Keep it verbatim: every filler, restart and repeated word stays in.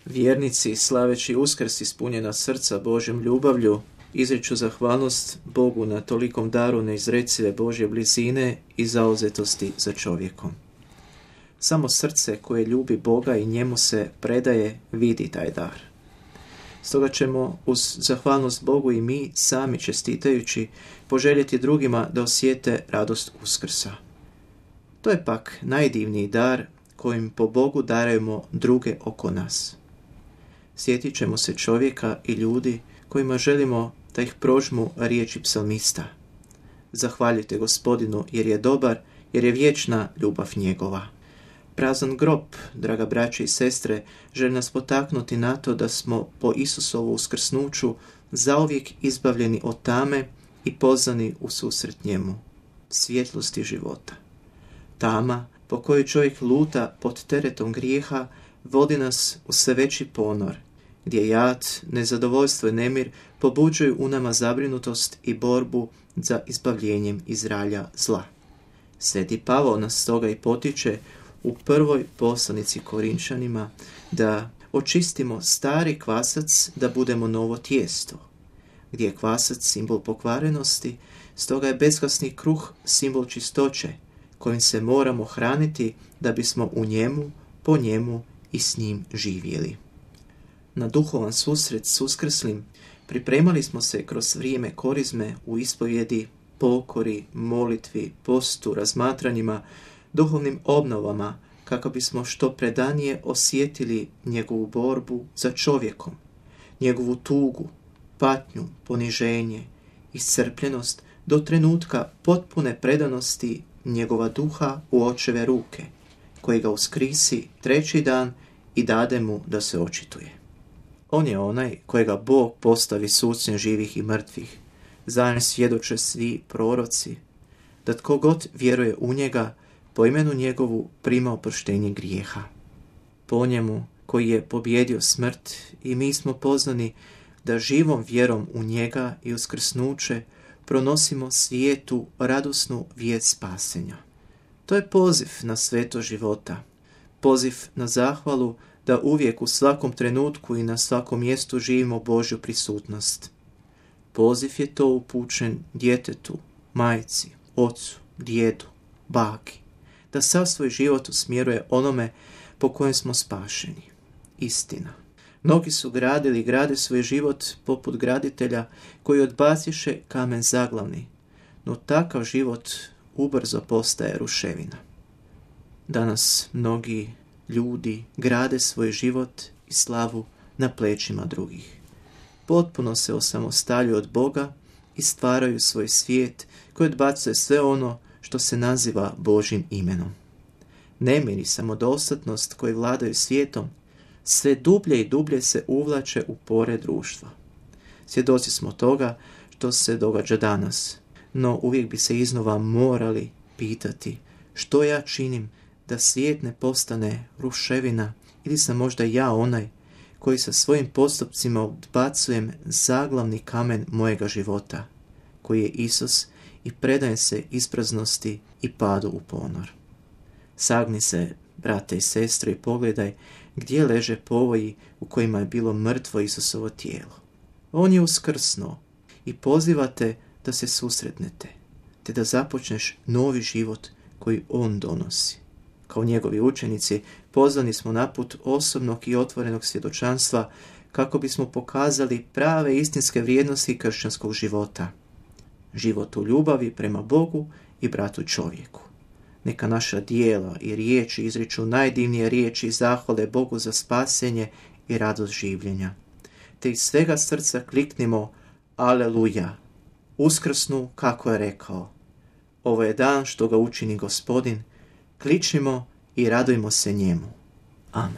Vjernici, slaveći Uskrs ispunjena srca Božjom ljubavlju, izriču zahvalnost Bogu na tolikom daru neizrecive Božje blizine i zauzetosti za čovjekom. Samo srce koje ljubi Boga i njemu se predaje vidi taj dar. Stoga ćemo uz zahvalnost Bogu i mi sami čestitajući poželjeti drugima da osjete radost Uskrsa. To je pak najdivniji dar kojim po Bogu darujemo druge oko nas. Sjetit ćemo se čovjeka i ljudi kojima želimo da ih prožmu riječi psalmista. Zahvaljujte Gospodinu jer je dobar, jer je vječna ljubav njegova. Prazan grob, draga braće i sestre, želi nas potaknuti na to da smo po Isusovu uskrsnuću zauvijek izbavljeni od tame i pozvani u susret njemu, svjetlosti života. Tama po kojoj čovjek luta pod teretom grijeha vodi nas u sve veći ponor, gdje jad, nezadovoljstvo i nemir pobuđuju u nama zabrinutost i borbu za izbavljenjem iz ralja zla. Sveti Pavao nas stoga i potiče u prvoj poslanici Korinčanima da očistimo stari kvasac da budemo novo tijesto. Gdje je kvasac simbol pokvarenosti, stoga je bezkvasni kruh simbol čistoće, kojim se moramo hraniti da bismo u njemu, po njemu i s njim živjeli. Na duhovan susret s Uskrslim pripremali smo se kroz vrijeme korizme u ispovjedi, pokori, molitvi, postu, razmatranjima, duhovnim obnovama, kako bismo što predanije osjetili njegovu borbu za čovjekom, njegovu tugu, patnju, poniženje, iscrpljenost do trenutka potpune predanosti njegova duha u očeve ruke, koji ga uskrisi treći dan i dade mu da se očituje. On je onaj kojega Bog postavi sucem živih i mrtvih. Zajedno svjedoče svi proroci, da tko god vjeruje u njega, po imenu njegovu prima oproštenje grijeha. Po njemu koji je pobjedio smrt i mi smo pozvani da živom vjerom u njega i uskrsnuće pronosimo svijetu radosnu vijest spasenja. To je poziv na sveto života, poziv na zahvalu da uvijek u svakom trenutku i na svakom mjestu živimo Božju prisutnost. Poziv je to upućen djetetu, majci, ocu, djedu, baki, da sav svoj život usmjeruje onome po kojem smo spašeni. Istina. Mnogi su gradili i grade svoj život poput graditelja koji odbaciše kamen zaglavni, no takav život ubrzo postaje ruševina. Danas mnogi ljudi grade svoj život i slavu na plećima drugih. Potpuno se osamostaljuju od Boga i stvaraju svoj svijet koji odbacuje sve ono što se naziva Božjim imenom. Nemir i samodostatnost koji vladaju svijetom sve dublje i dublje se uvlače u pore društva. Svjedoci smo toga što se događa danas, no uvijek bi se iznova morali pitati što ja činim da svijet ne postane ruševina ili sam možda ja onaj koji sa svojim postupcima odbacujem zaglavni kamen mojega života, koji je Isus i predaje se ispraznosti i padu u ponor. Sagni se, brate i sestre, i pogledaj gdje leže povoji u kojima je bilo mrtvo Isusovo tijelo. On je uskrsnuo i pozivate da se susretnete, te da započneš novi život koji on donosi. Kao njegovi učenici pozvani smo na put osobnog i otvorenog svjedočanstva kako bismo pokazali prave istinske vrijednosti kršćanskog života. Život u ljubavi prema Bogu i bratu čovjeku. Neka naša dijela i riječi izriču najdivnije riječi zahvale Bogu za spasenje i radost življenja. Te iz svega srca kliknimo Aleluja, uskrsnu kako je rekao. Ovo je dan što ga učini Gospodin, kličimo i radujmo se njemu. Amen.